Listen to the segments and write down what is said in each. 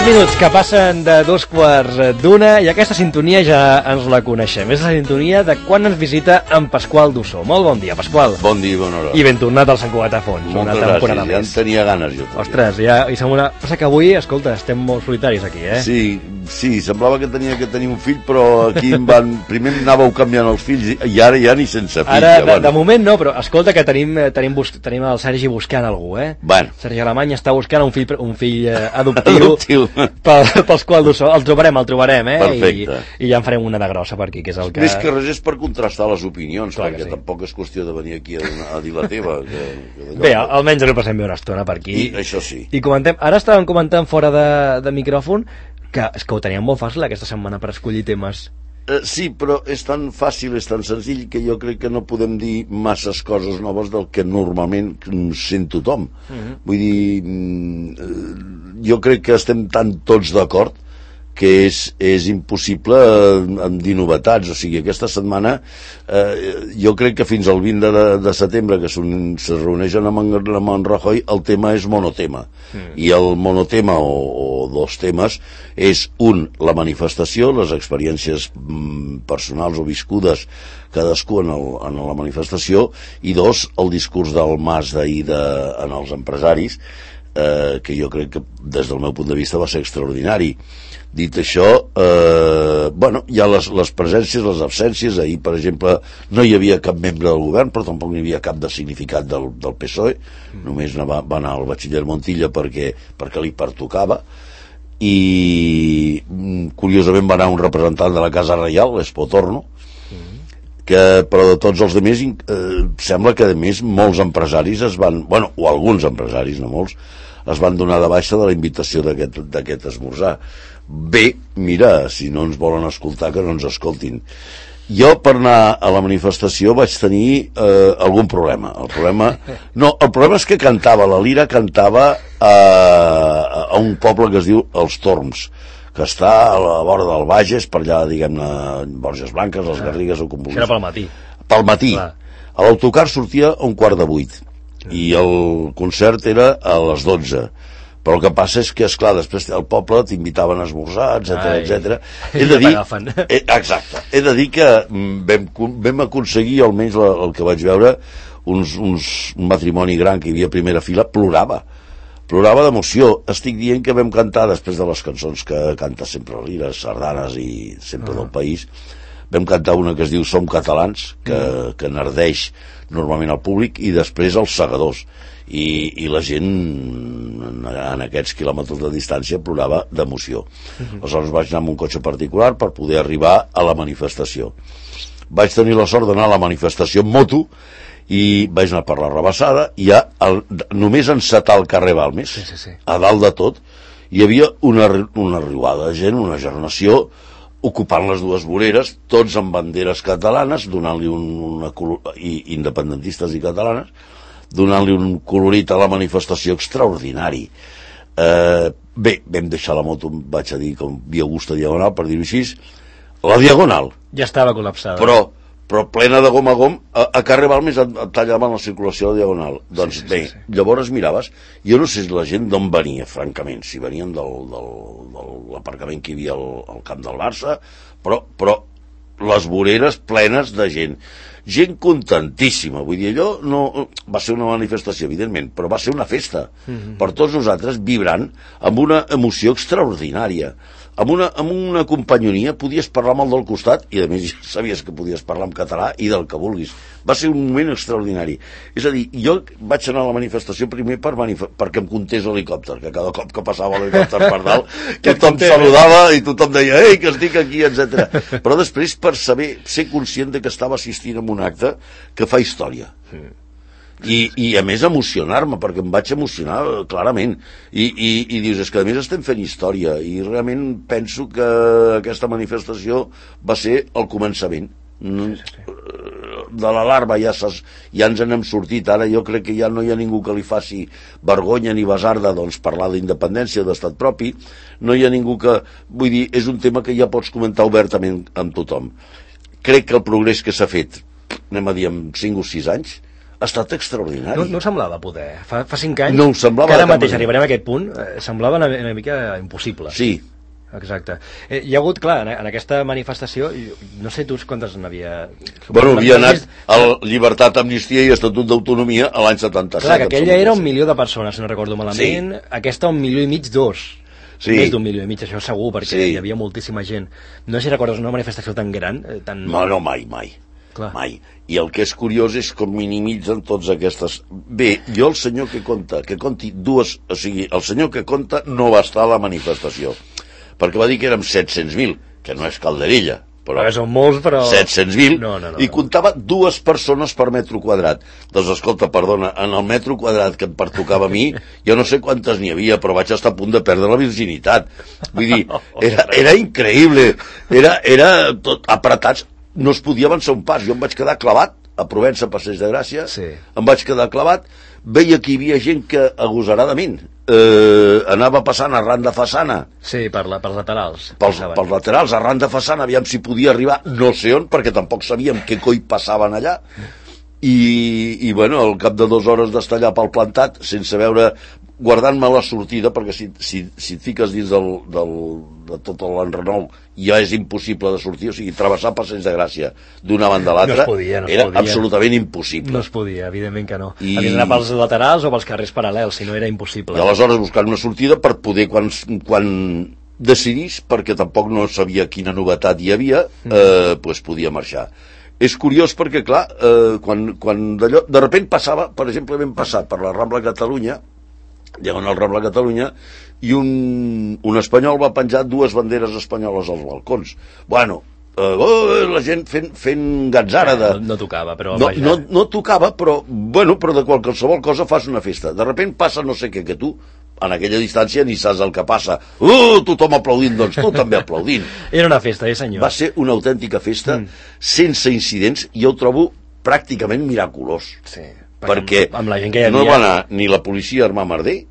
Minuts que passen de 2:15 i aquesta sintonia ja ens la coneixem. És la sintonia de quan ens visita en Pasqual Dussó. Molt bon dia, Pasqual. Bon dia i bona hora. I ben tornat al Sant Cugat a Fons. Moltes gràcies, ja en tenia ganes jo. Ostres, ja, i sembla... Passa que avui, escolta, estem molt solitaris aquí, eh? Sí, semblava que tenia que tenir un fill, però aquí em van... Primer anàveu canviant els fills i ara ja ni sense fill. Ara, de moment no, però escolta que tenim el Sergi buscant algú, eh? Bueno. Sergi Alemany està buscant un fill adoptiu. Pels quals Dussó. El trobarem, eh? Perfecte. I ja en farem una de grossa per aquí, que és el que... Més que res és per contrastar les opinions, clar, perquè tampoc és qüestió de venir aquí a dir la teva. Bé, almenys ens passem bé una estona per aquí. I això sí. I comentem, ara estàvem comentant fora de micròfon que és que ho teníem molt fàcil aquesta setmana per escollir temes. Sí, però és tan fàcil, és tan senzill que jo crec que no podem dir masses coses noves del que normalment sent tothom. Vull dir, jo crec que estem tan tots d'acord que és impossible dir novetats. O sigui, aquesta setmana jo crec que fins al 20 de setembre, que se reuneixen amb Rajoy, el tema és monotema. I el monotema o dos temes és la manifestació, les experiències personals o viscudes cadascú en la manifestació, i dos, el discurs del Mas d'ahir en els empresaris, que jo crec que des del meu punt de vista va ser extraordinari. Dit això, hi ha les presències, les absències. Ahir, per exemple, no hi havia cap membre del govern, però tampoc n'hi havia cap de significat del PSOE. Només va anar el batxiller Montilla perquè li pertocava, i curiosament va anar un representant de la Casa Reial, l'Espotorno, però de tots els altres sembla que a més molts empresaris o alguns empresaris, no molts, es van donar de baixa de la invitació d'aquest esmorzar. Bé, mira, si no ens volen escoltar, que no ens escoltin. Jo, per anar a la manifestació, vaig tenir algun problema. El problema és que la Lira cantava a un poble que es diu Els Torms, que està a la vora del Bages, per allà, diguem-ne, Borges Blanques, les Garrigues o com vulguis. Era pel matí. Pel matí. L'autocar sortia a 7:15 i el concert era a les 12. Però el que passa és que, esclar, després al poble t'invitaven a esmorzar, etc. He de dir... Exacte. He de dir que vam aconseguir, almenys el que vaig veure, un matrimoni gran que hi havia a primera fila, plorava d'emoció. Estic dient que vam cantar, després de les cançons que canta sempre la Lira, sardanes i sempre del país, vam cantar una que es diu Som Catalans, que enardeix normalment al públic, i després els segadors, i la gent en aquests quilòmetres de distància plorava d'emoció. Aleshores vaig anar amb un cotxe particular per poder arribar a la manifestació. Vaig tenir la sort d'anar a la manifestació en moto i vaig anar per la Rabassada, i només encetar el carrer Balmes, a dalt de tot hi havia una riuada de gent, una generació ocupant les dues voreres, tots amb banderes catalanes, donant-li independentistes i catalanes, donant-li un colorit a la manifestació extraordinari. Bé, vam deixar la moto, vaig a dir, com Via Augusta Diagonal, per dir-ho així. La Diagonal ja estava col·lapsada, però plena de gom a gom. A carrer Balmes et tallaven la circulació a la Diagonal. Doncs bé, llavors miraves, jo no sé la gent d'on venia, francament, si venien de l'aparcament que hi havia al camp del Barça, però les voreres plenes de gent contentíssima. Vull dir, allò no va ser una manifestació, evidentment, però va ser una festa per tots nosaltres, vibrant, amb una emoció extraordinària, amb una companyonia. Podies parlar amb el del costat i a més ja sabies que podies parlar en català i del que vulguis. Va ser un moment extraordinari. És a dir, jo vaig anar a la manifestació primer perquè em contés l'helicòpter, que cada cop que passava l'helicòpter per dalt tothom saludava i tothom deia ei, que estic aquí, etc. Però després per ser conscient de que estava assistint a un acte que fa història. I a més emocionar-me, perquè em vaig emocionar clarament, i dius, és que a més estem fent història, i realment penso que aquesta manifestació va ser el començament. De la larva ja ens n'hem sortit. Ara jo crec que ja no hi ha ningú que li faci vergonya ni basarda parlar d'independència, d'estat propi. No hi ha ningú que... Vull dir, és un tema que ja pots comentar obertament amb tothom. Crec que el progrés que s'ha fet, anem a dir, en 5 o 6 anys, ha estat extraordinari. No semblava poder. Fa 5 anys, no semblava que ara mateix arribarem a aquest punt, semblava una mica impossible. Sí. Exacte. Hi ha hagut, clar, en aquesta manifestació, no sé tu quantes n'havia... Bueno, havia anat a Llibertat, Amnistia i Estatut d'Autonomia a l'any 77. Clar, que aquella era 1 milió de persones, si no recordo malament, aquesta 1,5 milió, 2. Més d'1,5 milió, això segur, perquè hi havia moltíssima gent. No sé si recordes una manifestació tan gran, tan... No, mai. Clar. Mai. I el que és curiós és com minimitzen tots aquestes... Bé, jo el senyor que conti dues... O sigui, el senyor que conta no va estar a la manifestació, perquè va dir que érem 700.000, que no és calderilla, però són molts, però... 700.000, no. I comptava 2 persones per metre quadrat. Doncs escolta, perdona, en el metro quadrat que em pertocava a mi, jo no sé quantes n'hi havia, però vaig estar a punt de perdre la virginitat. Vull dir, era increïble, era tot apretats, no es podia avançar un pas. Jo em vaig quedar clavat a Provença, Passeig de Gràcia, em vaig quedar clavat, veia que hi havia gent que agosaradament anava passant arran de façana. Sí, per laterals. Pels laterals, arran de façana, aviam si podia arribar no sé on, perquè tampoc sabíem què coi passaven allà. I bueno, al cap de 2 hores d'estar allà pel plantat, sense veure, guardant-me la sortida, perquè si et fiques dins de tot l'enrenou ja és impossible de sortir, o sigui, travessar Passeig de Gràcia d'una banda a l'altra era absolutament impossible. No es podia, evidentment que no. Havia d'anar pels laterals o pels carrers paral·lels, si no era impossible. I aleshores buscant una sortida per poder, quan decidís, perquè tampoc no sabia quina novetat hi havia, pues podia marxar. És curiós perquè, clar, quan d'allò, de repent passava, per exemple, vam passar per la Rambla Catalunya, diagonal Rambla Catalunya, i un espanyol va penjar 2 banderes espanyoles als balcons. Bueno, la gent fent gatzara no tocava, però no tocava, però de qualsevol cosa fas una festa. De repent passa no sé què, que tu en aquella distància ni saps el que passa. Tothom aplaudint, doncs tu també aplaudint. Era una festa, senyor. Va ser una autèntica festa, sense incidents, i jo ho trobo pràcticament miraculós. Sí. Perquè amb la gent que hi havia... no va anar ni la policia a armar merder,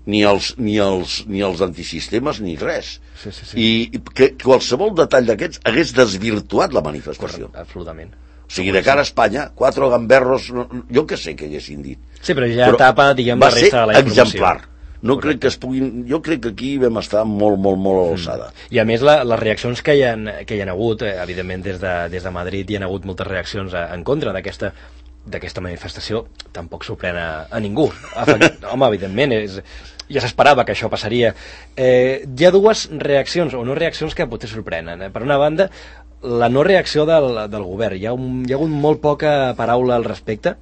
ni els antisistemes, ni res. Sí. I que qualsevol detall d'aquests hagués desvirtuat la manifestació. Correcte, absolutament. O sigui, de cara a Espanya, 4 gamberros, jo què sé què haguessin dit. Sí, però ja tapa, diguem, la resta de la informació. Va ser exemplar. No crec que es puguin... Jo crec que aquí vam estar molt a l'alçada. I a més, les reaccions que hi ha hagut, evidentment des de Madrid hi ha hagut moltes reaccions en contra d'aquesta manifestació, tampoc sorprèn a ningú. Home, evidentment, ja s'esperava que això passaria. Hi ha 2 reaccions, o no reaccions, que potser sorprenen. Per una banda, la no reacció del govern. Hi ha hagut molt poca paraula al respecte.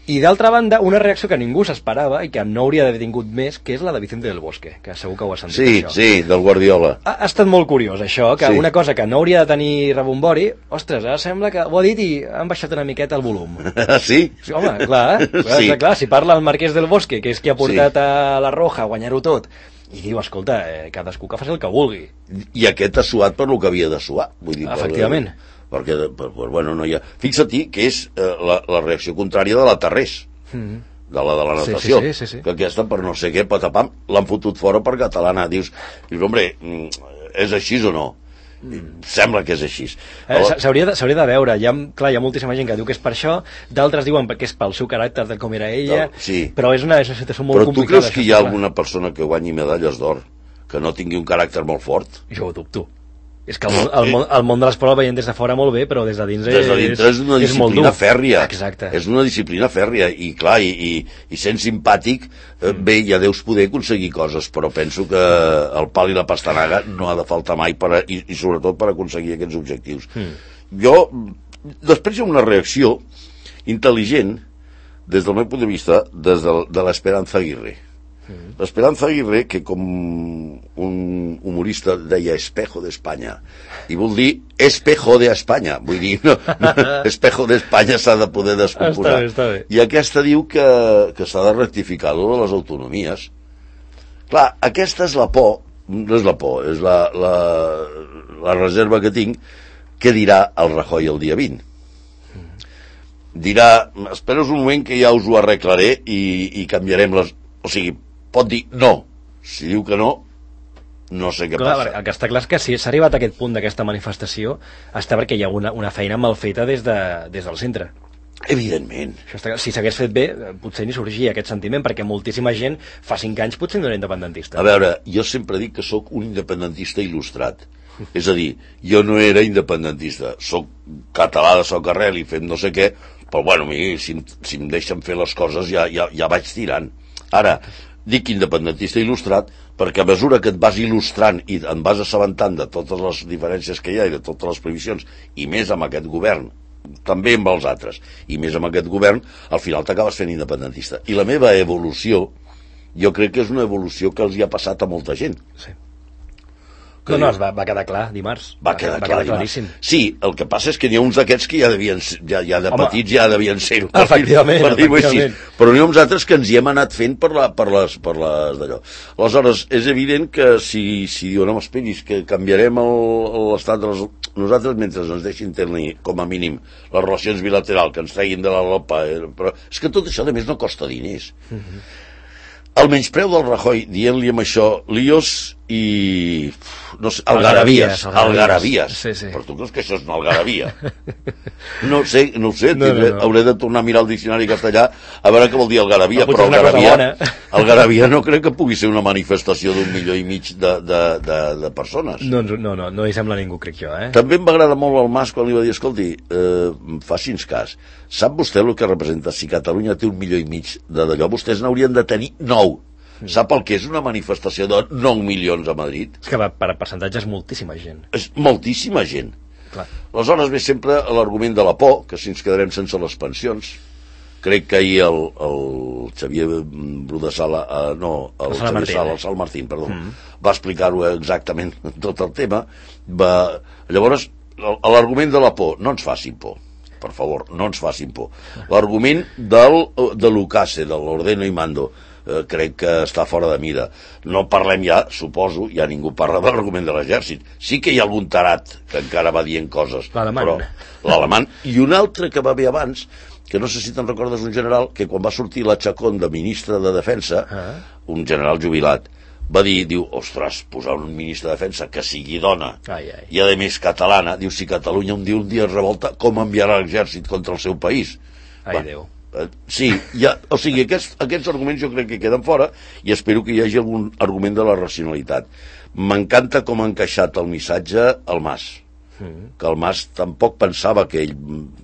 I d'altra banda, una reacció que ningú s'esperava i que no hauria d'haver tingut més, que és la de Vicente del Bosque, que segur que ho has sentit, això. Sí, del Guardiola. Ha estat molt curiós, això, que una cosa que no hauria de tenir rebombori, ostres, ara sembla que ho ha dit i han baixat una miqueta el volum. Sí? Home, clar, clar, si parla el Marquès del Bosque, que és qui ha portat a la Roja a guanyar-ho tot, i diu, escolta, cadascú que faci el que vulgui. I aquest ha suat per lo que havia de suar. Vull dir, efectivament. Perquè, bueno, no hi ha... Fixa-t'hi que és la reacció contrària de la Tarrés, de la natació, sí. que aquesta, per no sé què, patapam, l'han fotut fora per catalana. Dius, hombre, és així o no? Sembla que és així. S'hauria de veure. Clar, hi ha moltíssima gent que diu que és per això, d'altres diuen que és pel seu caràcter de com era ella, però és una situació molt complicada. Però tu creus que hi ha alguna persona que guanyi medalles d'or que no tingui un caràcter molt fort? Jo ho dubto. És que el món de l'esport el veiem des de fora molt bé, però des de dins és una disciplina fèrria. Exacte. És una disciplina fèrria, i clar, i sent simpàtic, bé, ja deus poder aconseguir coses, però penso que el pal i la pastanaga no ha de faltar mai, i sobretot per aconseguir aquests objectius. Després hi ha una reacció intel·ligent, des del meu punt de vista, de l'Esperanza Aguirre. L'Esperanza Aguirre, que com un humorista deia espejo d'Espanya, i vol dir espejo d'Espanya, vull dir, no, espejo d'Espanya s'ha de poder descomposar. Està bé. I aquesta diu que s'ha de rectificar de les autonomies. Clar, aquesta és la por, no és la por, és la reserva que tinc, que dirà el Rajoy el dia 20. Dirà, espereu un moment que ja us ho arreglaré i canviarem les... O sigui, pot dir no. Si diu que no, no sé què passa. El que està clar és que si s'ha arribat a aquest punt d'aquesta manifestació està perquè hi ha una feina mal feta des del centre. Evidentment. Si s'hagués fet bé, potser ni sorgia aquest sentiment, perquè moltíssima gent fa 5 anys potser no era independentista. A veure, jo sempre dic que sóc un independentista il·lustrat. És a dir, jo no era independentista, sóc català de soc arrel i fem no sé què, però bueno, si em deixen fer les coses ja vaig tirant. Ara, dic independentista il·lustrat perquè a mesura que et vas il·lustrant i et vas assabentant de totes les diferències que hi ha i de totes les previsions, i més amb aquest govern, també amb els altres, i més amb aquest govern, al final t'acabes fent independentista. I la meva evolució, jo crec que és una evolució que els hi ha passat a molta gent. Sí. No, va quedar clar dimarts. Va quedar claríssim. Sí, el que passa és que n'hi ha uns d'aquests que ja de petits ja devien ser-ho. Efectivament. Però n'hi ha uns altres que ens hi hem anat fent per les d'allò. Aleshores, és evident que si diuen, home, esperis, que canviarem l'estat de les... Nosaltres, mentre ens deixin tenir, com a mínim, les relacions bilaterals, que ens treguin de la LOPA... Però és que tot això, a més, no costa diners. El menyspreu del Rajoy, dient-li amb això, líos i... no sé, algaravies. Sí. Però tu creus que això és una algaravia? No ho sé, no. Hauré de tornar a mirar el diccionari castellà a veure què vol dir algaravia, però algaravia no crec que pugui ser una manifestació d'1,5 milió de persones. No hi sembla ningú, crec jo, També em va agradar molt el Mas quan li va dir, escolti, faci'ns cas, sap vostè el que representa si Catalunya té 1,5 milió d'allò? Vostès n'haurien de tenir 9. Sap el que és una manifestació de 9 milions a Madrid? És que per percentatge és moltíssima gent. És moltíssima gent. Clar. Aleshores ve sempre l'argument de la por, que si ens quedarem sense les pensions. Crec que ahir el Xavier Brudasala, el Xavier Sala, el Sal Martín, perdó, va explicar-ho exactament tot el tema. Llavors, l'argument de la por, no ens facin por. Per favor, no ens facin por. L'argument de l'UCASE, de l'Ordeno i Mando, crec que està fora de mida. No parlem ja, suposo, ja ningú parla de l'argument de l'exèrcit. Sí que hi ha algun tarat que encara va dient coses. L'alemany. I un altre que va bé abans, que no sé si te'n recordes, un general que quan va sortir la Chacón de ministre de Defensa, un general jubilat, va dir, diu, ostres, posar un ministre de Defensa que sigui dona i a més catalana, diu, si Catalunya un dia es revolta, com enviarà l'exèrcit contra el seu país? Déu. Sí, o sigui, aquests arguments jo crec que queden fora i espero que hi hagi algun argument de la racionalitat. M'encanta com ha encaixat el missatge al Mas, que el Mas tampoc pensava que ell...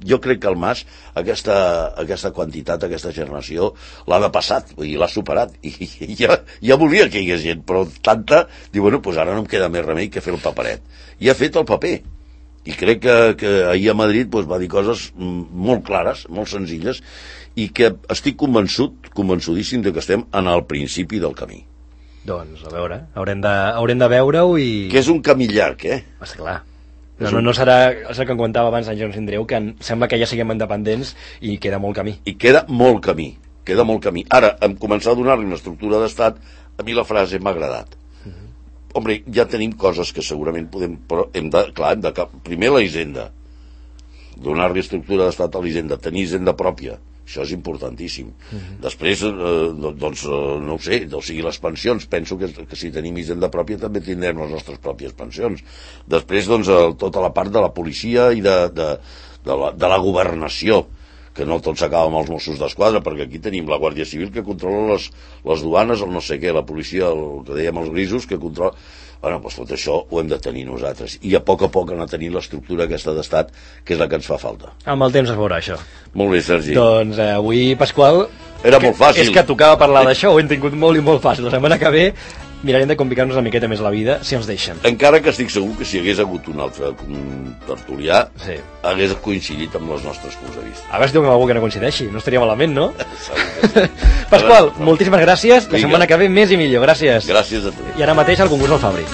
Jo crec que el Mas aquesta quantitat, aquesta generació l'ha depassat, vull dir, l'ha superat i ja volia que hi hagués gent, però tanta, diu, bueno, doncs ara no em queda més remei que fer el paperet. I ha fet el paper. I crec que ahir a Madrid va dir coses molt clares, molt senzilles, i que estic convençudíssim que estem en el principi del camí. Doncs, a veure, haurem de veure-ho i... Que és un camí llarg, Està clar. No serà el que em comentava abans en Joan Sindreu, que sembla que ja siguem independents i queda molt camí. I queda molt camí. Ara, en començar a donar-li una estructura d'estat, a mi la frase m'ha agradat. Hombre, ja tenim coses que segurament podem... Però primer la hisenda. Donar-li estructura d'estat a la hisenda. Tenir hisenda pròpia. Això és importantíssim. Després, no ho sé, o sigui, les pensions, penso que si tenim hisenda pròpia també tindrem les nostres pròpies pensions. Després, tota la part de la policia i de la governació, que no tot s'acaba amb els Mossos d'Esquadra, perquè aquí tenim la Guàrdia Civil que controla les duanes, el no sé què, la policia, el que dèiem els grisos, que controla... Bueno, doncs tot això ho hem de tenir nosaltres. I a poc anar tenint l'estructura aquesta d'estat, que és la que ens fa falta. Amb el temps es veurà, això. Molt bé, Sergi. Doncs avui, Pasqual... Era molt fàcil. És que tocava parlar d'això, ho hem tingut molt i molt fàcil. La setmana que ve mirarem de complicar-nos una miqueta més la vida, si ens deixen. Encara que estic segur que si hagués hagut un altre tertulià, hagués coincidit amb els nostres punts de vista. A veure si tinc algú que no coincideixi, no estaria malament, no? Pasqual, moltíssimes gràcies. La setmana que ve més i millor, gràcies. Gràcies a tu. I ara mateix al concurs del Fabri.